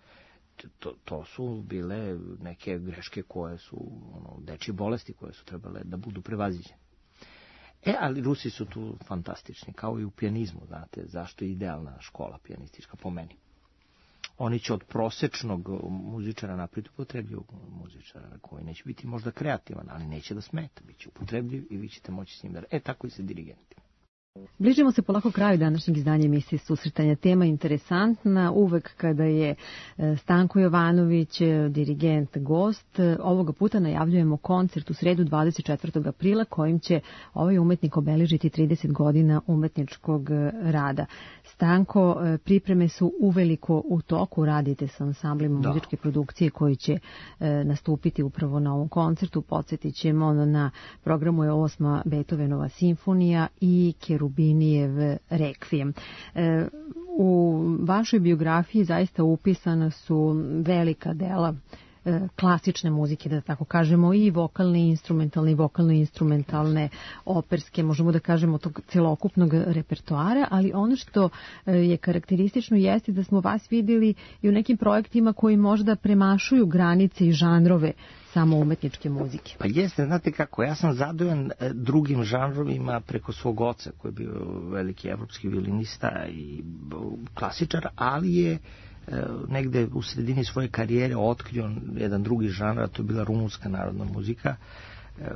To, to su bile neke greške koje su, ono, dečje bolesti koje su trebale da budu prevaziđene. E, ali Rusi su tu fantastični, kao i u pijanizmu, znate, zašto je idealna škola pijanistička po meni. Oni će od prosečnog muzičara napraviti upotrebljiv muzičara, koji neće biti možda kreativan, ali neće da smeta, bit će upotrebljiv i vi ćete moći s njim da... E, tako i sa dirigentima. Bližimo se polako kraju današnjeg izdanja emisije Susretanja. Tema interesantna, uvek kada je Stanko Jovanović, dirigent, gost. Ovoga puta najavljujemo koncert u sredu dvadeset četvrtog aprila kojim će ovaj umetnik obeležiti trideset godina umetničkog rada. Stanko, pripreme su uveliko u toku, radite sa ansamblima da. muzičke produkcije koji će nastupiti upravo na ovom koncertu. Podsjetit ćemo, na programu je osma Beethovenova simfonija i Kerubinijev rekvijem. U vašoj biografiji zaista upisana su velika dela klasične muzike, da tako kažemo, i vokalne, instrumentalne, i vokalno-instrumentalne, operske, možemo da kažemo tog celokupnog repertoara, ali ono što je karakteristično jeste da smo vas vidjeli i u nekim projektima koji možda premašuju granice i žanrove samo umetničke muzike. Pa jeste, znate kako, ja sam zadovoljan drugim žanrovima preko svog oca, koji je bio veliki evropski violinista i klasičar, ali je negde u sredini svoje karijere otkrio jedan drugi žanr, a to je bila rumunska narodna muzika,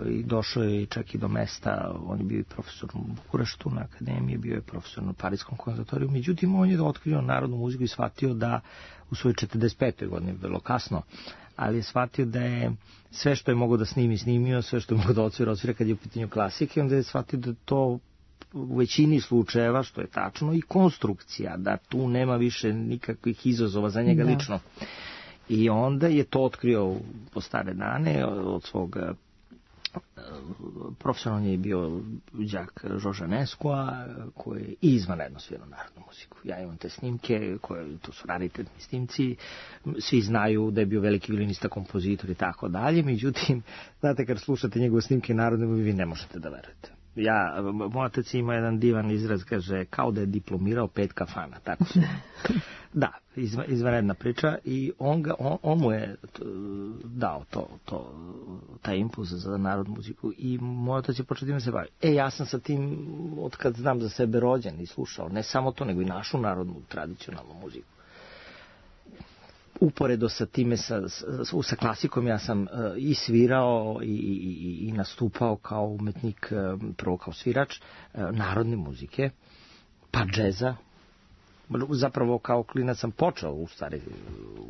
i došao je čak i do mesta, on je bio i profesor u Bukureštu na akademiji, bio je profesor na Parijskom konzervatoriju, međutim on je otkrio narodnu muziku i shvatio da u svojoj četrdeset petoj godini, vrlo kasno, ali je shvatio da je sve što je mogao da snimi, snimio, sve što je mogao da odsvira, odsvira kad je u pitanju klasike, onda je shvatio da to u većini slučajeva, što je tačno, i konstrukcija, da tu nema više nikakvih izazova za njega da. lično. I onda je to otkrio po stare dane od svog profesionalno je bio đak Žorža Neskoa, koji je izvanredno svirao narodnu muziku. Ja imam te snimke, koje, to su raritetni snimci, svi znaju da je bio veliki violinista, kompozitor i tako dalje, međutim, znate, kad slušate njegove snimke narodne, vi ne možete da verujete. Ja, moj otac ima jedan divan izraz, kaže, kao da je diplomirao pet kafana, tako su. Da, izva, izvanredna priča, i on, ga, on, on mu je dao to, to, taj impuls za narodnu muziku, i moj otac je počeo da se bavi. E, ja sam sa tim, od kad znam za sebe, rođen i slušao, ne samo to, nego i našu narodnu, tradicionalnu muziku. Uporedo sa time, sa, sa, sa klasikom, ja sam uh, i svirao i, i, i nastupao kao umetnik, uh, prvo kao svirač uh, narodne muzike, pa džeza. Zapravo kao klinac sam počeo u stvari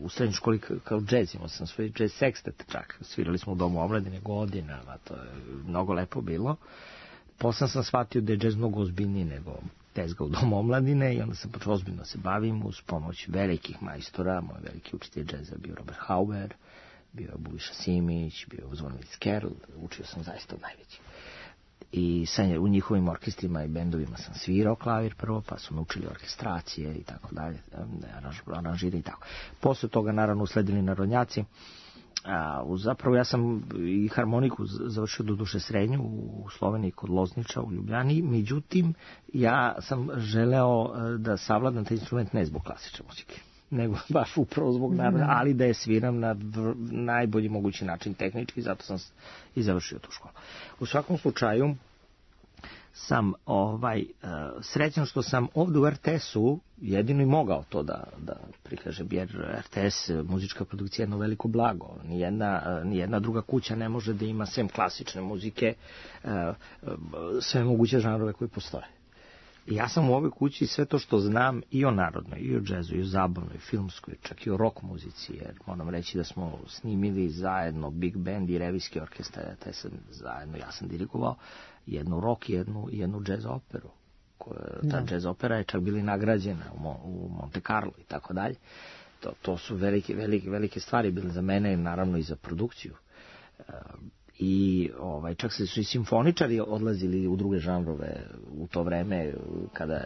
u srednjoj školi kao džez, imao sam svoj džez sekstet čak, svirali smo u Domu omladine godinama, to je mnogo lepo bilo. Posle sam shvatio da je džez mnogo ozbiljniji nego tezga u Domu omladine, i onda sam počeo ozbiljno se bavim uz pomoć velikih majstora. Moj veliki učitelj džeza bio Robert Hauber, bio je Buliša Simić, bio je Zvonimir Skerl, učio sam zaista od najvećih. I sa u njihovim orkestrima i bendovima sam svirao klavir prvo, pa su me učili orkestracije i tako dalje, aranžire i tako. Posle toga naravno usledili narodnjaci. A, zapravo ja sam i harmoniku završio do duše srednju u Sloveniji kod Lozniča u Ljubljani, međutim ja sam želeo da savladam taj instrument ne zbog klasične muzike, nego baš upravo zbog narodne, ali da je sviram na najbolji mogući način tehnički, zato sam i završio tu školu. U svakom slučaju sam ovaj uh, srećan što sam ovdje u er te es-u jedino i mogao to da, da prikažem, jer er te es, muzička produkcija, je jedno veliko blago. Nijedna, nijedna druga kuća ne može da ima sem klasične muzike uh, sve moguće žanrove koji postoje. I ja sam u ovoj kući sve to što znam i o narodnoj, i o džezu, i o zabavnoj, filmskoj, čak i o rock muzici, jer moram reći da smo snimili zajedno Big Band i revijski orkestar, te sam zajedno, ja sam dirigovao jednu rock i jednu, jednu džez operu. Ta no. džez opera je čak bili nagrađena u, Mo, u Monte Carlo i tako dalje. To, to su velike, velike, velike stvari bile za mene, naravno i za produkciju. Uh, I ovaj, čak se su i simfoničari odlazili u druge žanrove u to vreme kada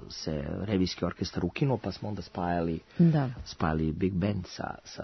se revijski orkestar ukinuo, pa smo onda spajali, da. spajali Big Band sa, sa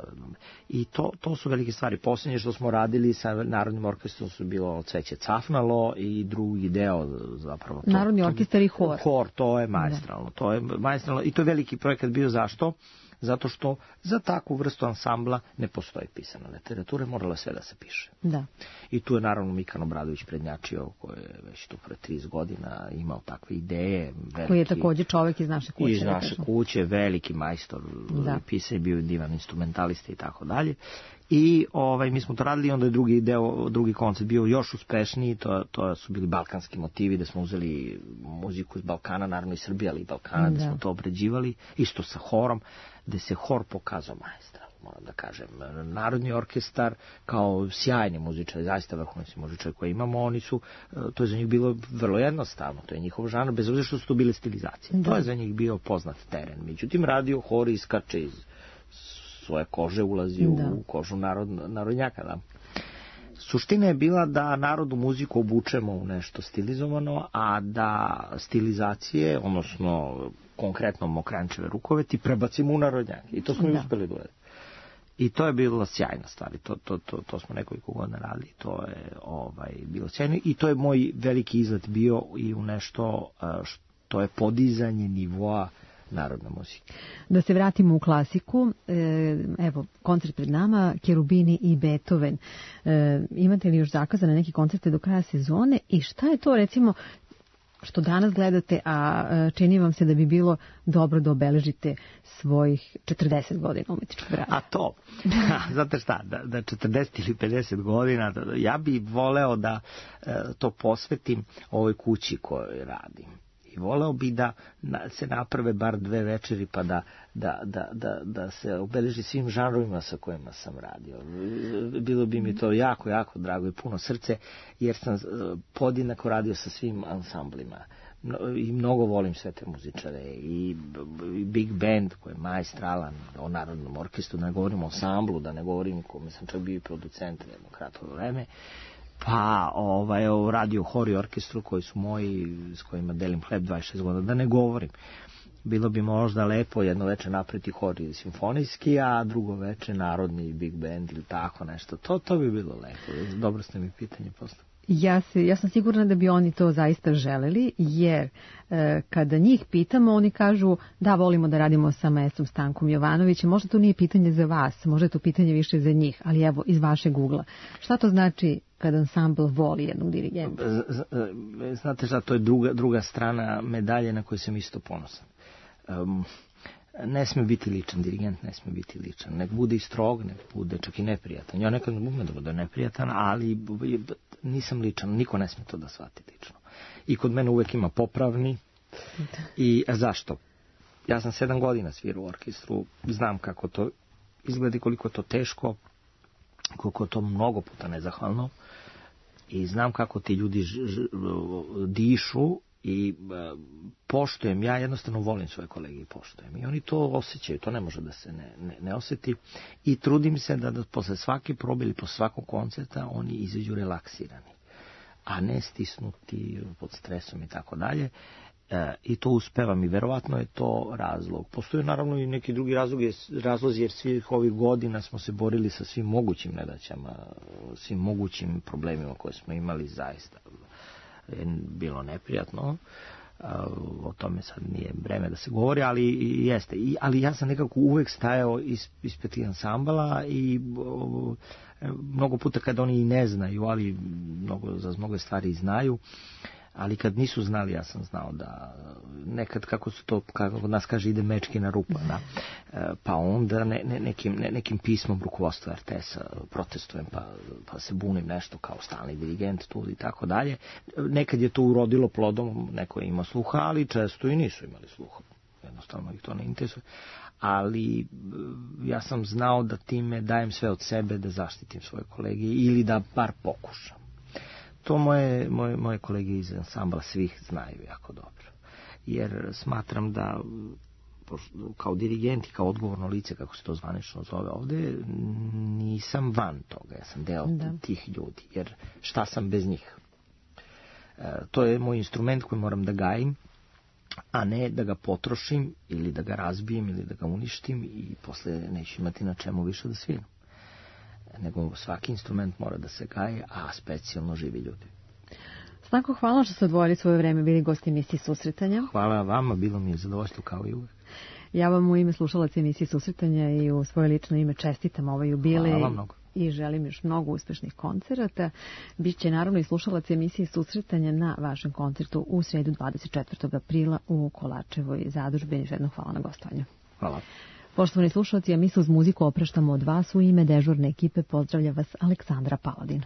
i to, to su velike stvari. Posljednje što smo radili sa Narodnim orkestrom su bilo Cveće cafnalo i drugi deo zapravo. To, Narodni orkestar i hor. Hor, to je maestralno. To je maestralno i to je veliki projekat bio. Zašto? Zato što za takvu vrstu ansambla ne postoji pisana literatura, moralo sve da se piše. Da. I tu je naravno Mikan Obradović prednjačio, koji je već tu pre trideset godina imao takve ideje. Veliki, koji je također čovjek iz naše kuće. Iz naše kuće, veliki majstor, pisanje, bio divan instrumentalista i tako dalje. I ovaj, mi smo to radili, onda je drugi deo, drugi koncert bio još uspešniji, to, to su bili balkanski motivi, da smo uzeli muziku iz Balkana, naravno i Srbije, ali i Balkana, da, da smo to obrađivali, isto sa horom, gde se hor pokazao majstra, moram da kažem. Narodni orkestar kao sjajni muzičari, zaista vrhunski muzičari koje imamo, oni su, to je za njih bilo vrlo jednostavno, to je njihov žanr, bez obzira što su to bile stilizacije. Da. To je za njih bio poznat teren. Međutim, radio hor iskače iz svoje kože, ulazi da. u kožu narod, narodnjaka. Da. Suština je bila da narodnu muziku obučemo u nešto stilizovano, a da stilizacije, odnosno konkretno mokrančeve rukoveti, prebacimo u narodnjake. I to smo da. i uspeli da uradimo. I to je bila sjajna stvar. To, to, to, to smo nekoliko godina radili. To je ovaj, bilo sjajno. I to je moj veliki izlet bio i u nešto što je podizanje nivoa narodna muzika. Da se vratimo u klasiku, evo, koncert pred nama, Cherubini i Beethoven. Imate li još zakazane neke koncerte do kraja sezone i šta je to, recimo, što danas gledate, a čini vam se da bi bilo dobro da obeležite svojih četrdeset godina umetničkog rada? A to, znate šta, da, da četrdeset ili pedeset godina, da, ja bi voleo da to posvetim ovoj kući kojoj radim. I voleo bi da se naprave bar dve večeri pa da, da, da, da, da se obeleži svim žanrovima sa kojima sam radio. Bilo bi mi to jako, jako drago i puno srce, jer sam podjednako radio sa svim ansamblima. I mnogo volim sve te muzičare i big band koji je maestralan, o narodnom orkestru, da ne govorim o ansamblu, da ne govorim kome sam čak bio i producent jedno kratko vreme. Pa ovaj, radio hor i orkestru koji su moji, s kojima delim hleb dvadeset šest godina, da ne govorim. Bilo bi možda lepo jedno veče napreti hor ili simfonijski, a drugo veče narodni big band ili tako nešto. To, to bi bilo lepo. Dobro ste mi pitanje postavili. Ja, se, ja sam sigurna da bi oni to zaista želeli, jer e, kada njih pitamo, oni kažu da volimo da radimo sa maestrom Stankom Jovanovićem. Možda to nije pitanje za vas, možda je to pitanje više za njih, ali evo, iz vašeg ugla. Šta to znači kada ansambl voli jednog dirigenta? Znate šta, to je druga, druga strana medalje na koju sam isto ponosan. Um, ne sme biti ličan, dirigent ne sme biti ličan. Nek bude i strog, nek bude čak i neprijatan. Ja nekad umem da bude neprijatan, ali nisam ličan, niko ne sme to da shvati lično. I kod mene uvek ima popravni. I a zašto? Ja sam sedam godina svirao u orkestru, znam kako to izgleda i koliko to teško, koliko to mnogo puta nezahvalno, i znam kako ti ljudi ž, ž, dišu i e, poštujem, ja jednostavno volim svoje kolege i poštujem. I oni to osjećaju, to ne može da se ne, ne, ne osjeti. I trudim se da, da posle svake probe ili posle svakog koncerta oni izađu relaksirani, a ne stisnuti pod stresom i tako dalje. E, I to uspevam i verovatno je to razlog. Postoje naravno i neki drugi razlog, razlozi, jer svih ovih godina smo se borili sa svim mogućim nedaćama, svim mogućim problemima koje smo imali, zaista je bilo neprijatno. O tome sad nije vreme da se govori, ali jeste. I, ali ja sam nekako uvek stajao is, ispred tih ansambala i o, mnogo puta kad oni i ne znaju, ali mnogo, za mnogo stvari znaju, ali kad nisu znali, ja sam znao da nekad, kako se to, kako nas kaže, ide mečki na rupa, da. Pa onda ne, ne, nekim, ne, nekim pismom rukovodstva er te es-a protestujem, pa, pa se bunim nešto kao stalni dirigent tu i tako dalje. Nekad je to urodilo plodom, neko je imao sluha, ali često i nisu imali sluha. Jednostavno ih to ne interesuje. Ali ja sam znao da time dajem sve od sebe da zaštitim svoje kolege ili da bar pokušam. To moje, moje, moje kolege iz ansambla svih znaju jako dobro. Jer smatram da kao dirigent i kao odgovorno lice, kako se to zvanično zove ovde, nisam van toga. Ja sam deo da. tih ljudi. Jer šta sam bez njih? E, to je moj instrument koji moram da gajim, a ne da ga potrošim ili da ga razbijem ili da ga uništim i posle neću imati na čemu više da sviram. Nego svaki instrument mora da se gaje, a specijalno živi ljudi. Stanko, hvala što ste odvojili svoje vreme, bili gosti emisije Susretanja. Hvala vama, bilo mi je zadovoljstvo kao i uvek. Ja vam u ime slušalaca emisije Susretanja i u svoje lično ime čestitam ovaj jubilej. Hvala vam mnogo. I želim još mnogo uspešnih koncerata. Biće naravno i slušalac emisije Susretanja na vašem koncertu u sredu dvadeset četvrtog aprila u Kolačevoj zadužbini. Još jednom hvala na gostovanju. Hvala. Poštovani slušalci, a mi se uz muziku opraštamo od vas. U ime dežurne ekipe pozdravlja vas Aleksandra Paladin.